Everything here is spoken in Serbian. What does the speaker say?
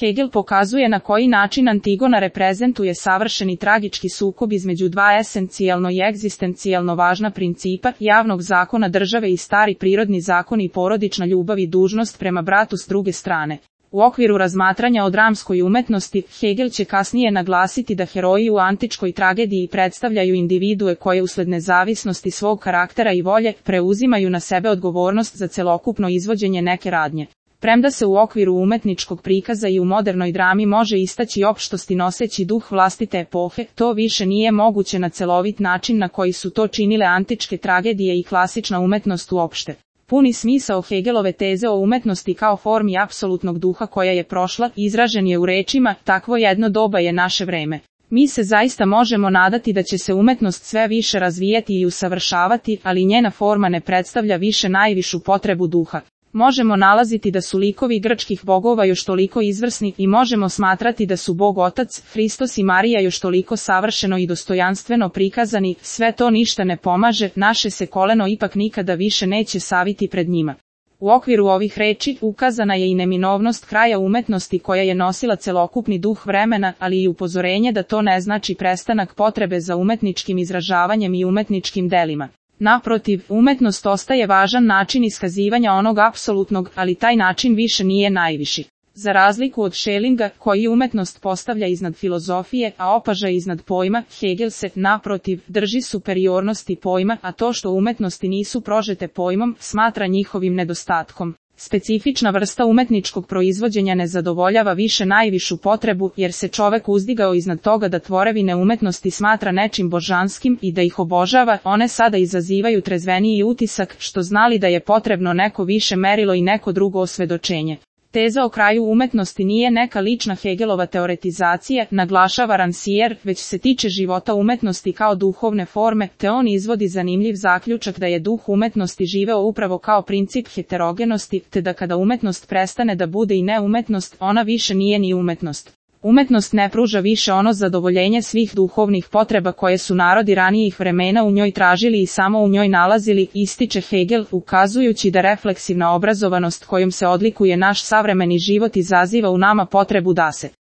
Hegel pokazuje na koji način Antigona reprezentuje savršeni tragički sukob između dva esencijalno i egzistencijalno važna principa, javnog zakona države i stari prirodni zakon i porodična ljubav i dužnost prema bratu s druge strane. U okviru razmatranja o dramskoj umetnosti, Hegel će kasnije naglasiti da heroji u antičkoj tragediji predstavljaju individue koje usled nezavisnosti svog karaktera i volje preuzimaju na sebe odgovornost za celokupno izvođenje neke radnje. Premda se u okviru umetničkog prikaza i u modernoj drami može istaći opštosti noseći duh vlastite epohe, to više nije moguće na celovit način na koji su to činile antičke tragedije i klasična umetnost uopšte. Puni smisao Hegelove teze o umetnosti kao formi apsolutnog duha koja je prošla, izražen je u rečima, takvo jedno doba je naše vreme. Mi se zaista možemo nadati da će se umetnost sve više razvijati i usavršavati, ali njena forma ne predstavlja više najvišu potrebu duha. Možemo nalaziti da su likovi grčkih bogova još toliko izvrsni i možemo smatrati da su Bog Otac, Hristos i Marija još toliko savršeno i dostojanstveno prikazani, sve to ništa ne pomaže, naše se koleno ipak nikada više neće saviti pred njima. U okviru ovih reči ukazana je i neminovnost kraja umetnosti koja je nosila celokupni duh vremena, ali i upozorenje da to ne znači prestanak potrebe za umetničkim izražavanjem i umetničkim delima. Naprotiv, umetnost ostaje važan način iskazivanja onog apsolutnog, ali taj način više nije najviši. Za razliku od Schellinga, koji umetnost postavlja iznad filozofije, a opaža iznad pojma, Hegel se, naprotiv, drži superiornosti pojma, a to što umetnosti nisu prožete pojmom, smatra njihovim nedostatkom. Specifična vrsta umetničkog proizvođenja ne zadovoljava više najvišu potrebu, jer se čovek uzdigao iznad toga da tvorevine umetnosti smatra nečim božanskim i da ih obožava, one sada izazivaju trezveniji utisak, što znali da je potrebno neko više merilo i neko drugo osvedočenje. Teza o kraju umetnosti nije neka lična Hegelova teoretizacija, naglašava Rancière, već se tiče života umetnosti kao duhovne forme, te on izvodi zanimljiv zaključak da je duh umetnosti živeo upravo kao princip heterogenosti, te da kada umetnost prestane da bude i neumetnost, ona više nije ni umetnost. Umetnost ne pruža više ono zadovoljenje svih duhovnih potreba koje su narodi ranijih vremena u njoj tražili i samo u njoj nalazili, ističe Hegel, ukazujući da refleksivna obrazovanost kojom se odlikuje naš savremeni život izaziva u nama potrebu da se